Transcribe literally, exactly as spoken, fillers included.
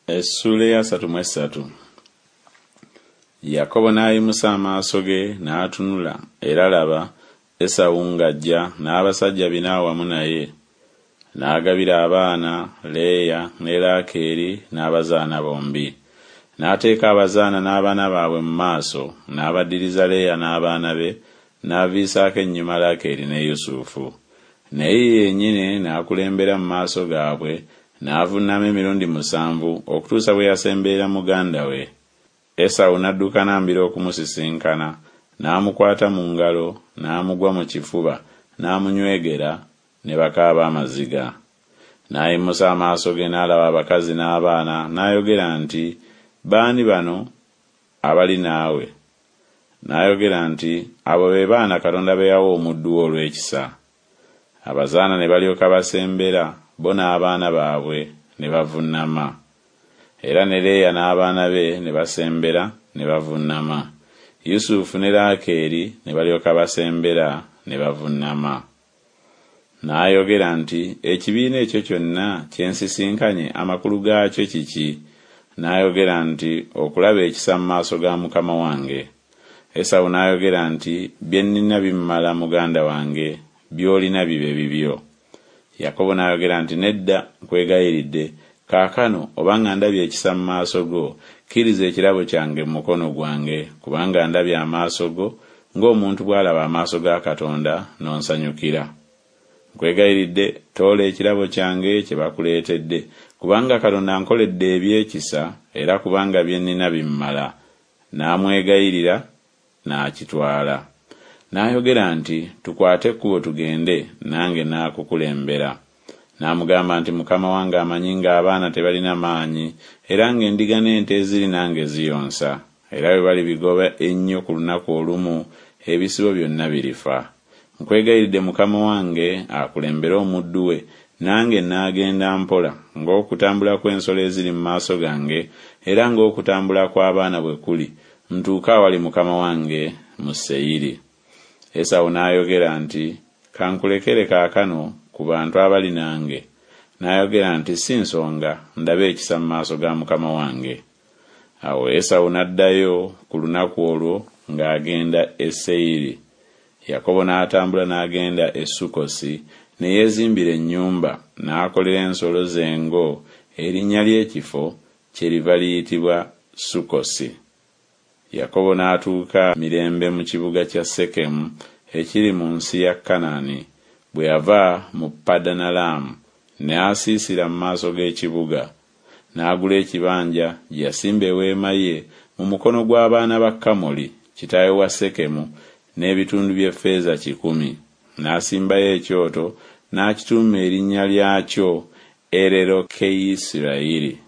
Essuula ey'asatu mu essatu. Yakobo n'ayimusa amaaso ge n'atunula, era laba, Esawu ng'ajja n'abasajja bina awamu naye. N'agabira abaana Leeya ne Laakeeri n'abazaana bombi. N'ateeka abazaana n'abaana baabwe mu maaso, n'abaddiriza Leeya n'abaana be, n'aviisaako ennyuma Laakeeri ne Yusufu. Naye ye yennyini n'akulembera mu maaso gaabwe, n'avunnama emirundi musanvu okutuusa bwe yasemberera muganda we. Esawu n'addukana mbiro okumusisinkana, n'amukwata mu ngalo, n'amugwa mu kifuba, n'amunywegera, ne bakaaba amaziga. N'ayimusa amaaso ge n'alaba abakazi n'abaana, n'ayogera nti B'ani bano abali naawe? N'ayogera nti Abo be baana Katonda be yawa omuddu wo olw'ekisa. Abazaana ne balyoka basembera, bo n'abaana baabwe, ne bavunnama. Era ne Leeya n'abaana be ne basembera, ne bavunnama. Yusufu ne Laakeeri ne balyoka basembera, ne bavunnama. N'ayogera nti Ekibiina ekyo kyonna kye nsisinkanye amakulu gaakyo kiki? N'ayogera nti Okulaba ekisa mu maaso ga mukama wange. Esawu n'ayogera nti Bye nnina bimmala, muganda wange, by'olina bibe bibyo. Yakobo n'ayogera nti Nedda, nkwegayiridde, kaakano obanga ndabye ekisa mu maaso go, kkiriza ekirabo kyange mu mukono gwange, kubanga ndabye amaaso go, ng'omuntu bw'alaba amaaso ga Katonda, n'onsanyukira. Nkwegayiridde, toola ekirabo kyange kye bakuleetedde, kubanga Katonda ankoledde eby'ekisa, era kubanga bye nnina bimmala. N'amwegayirira, n'akitwala. N'ayogera nti Tukwate ekkubo tugende, nange naakukulembera. N'amugamba nti Mukama wange amanyi ng'abaana tebalina maanyi, era ng'endiga n'ente eziri nange ziyonsa, era bwe balibigoba ennyo ku lunaku olumu, ebisibo byonna birifa. Nkwegayiridde mukama wange akulembere omuddu we, nange naagenda mpola, ng'okutambula kw'ensolo eziri mu maaso gange, era ng'okutambula kw'abaana bwe kuli, ntuuke awali mukama wange mu Seyiri. Esawu n'ayogera nti Ka nkulekere kaakano ku bantu abali nange. N'ayogera nti Si nsonga, ndabe ekisa mu maaso ga mukama wange. Awo Esawu n'addayo ku lunaku olwo ng'agenda e Seyiri. Yakobo n'atambula n'agenda e Sukkosi, ne yeezimbira ennyumba, n'akolera ensolo ze engo, erinnya ly'ekifo kyeriva liyitibwa Sukkosi. Yakobo n'atuuka mirembe mu kibuga kya Sekemu ekiri mu nsi ya Kanani, bwe yava mu Padanalaamu, n'asiisira mu maaso g'ekibuga. N'agula ekibanja gye yasimba eweema ye mu mukono gw'abaana ba Kamoli kitaawe wa Sekemu n'ebitundu by'effeeza kikumi. N'asimbayo ekyoto, n'akituuma erinnya lyakyo Ererokeyisirayiri.